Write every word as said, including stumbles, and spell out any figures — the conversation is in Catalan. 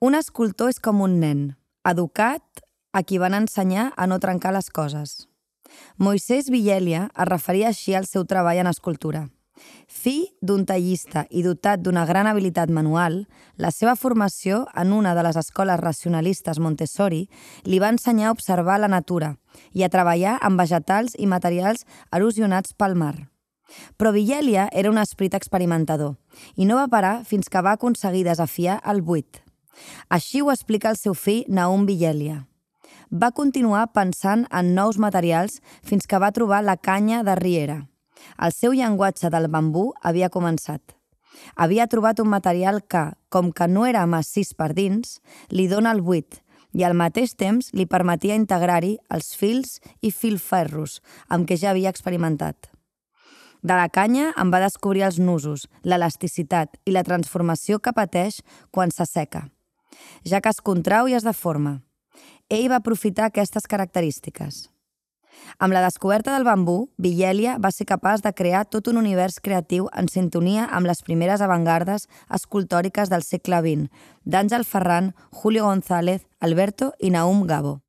Un escultor és com un nen, educat, a qui van ensenyar a no trencar les coses. Moisès Vigelia es referia així al seu treball en escultura. Fill d'un tallista i dotat d'una gran habilitat manual, la seva formació en una de les escoles racionalistes Montessori li va ensenyar a observar la natura i a treballar amb vegetals i materials erosionats pel mar. Però Vigelia era un esperit experimentador i no va parar fins que va aconseguir desafiar el buit. Així ho explica el seu fill Nahum Vigelia. Va continuar pensant en nous materials fins que va trobar la canya de riera. El seu llenguatge del bambú havia començat. Havia trobat un material que, com que no era massís per dins, li dona el buit i al mateix temps li permetia integrar-hi els fils i filferros amb què ja havia experimentat. De la canya en va descobrir els nusos, l'elasticitat i la transformació que pateix quan s'asseca, ja que es contrau i es deforma. Ell va aprofitar aquestes característiques. Amb la descoberta del bambú, Vigelia va ser capaç de crear tot un univers creatiu en sintonia amb les primeres avantgardes escultòriques del segle vint, d'Àngel Ferran, Julio González, Alberto i Nahum Gabo.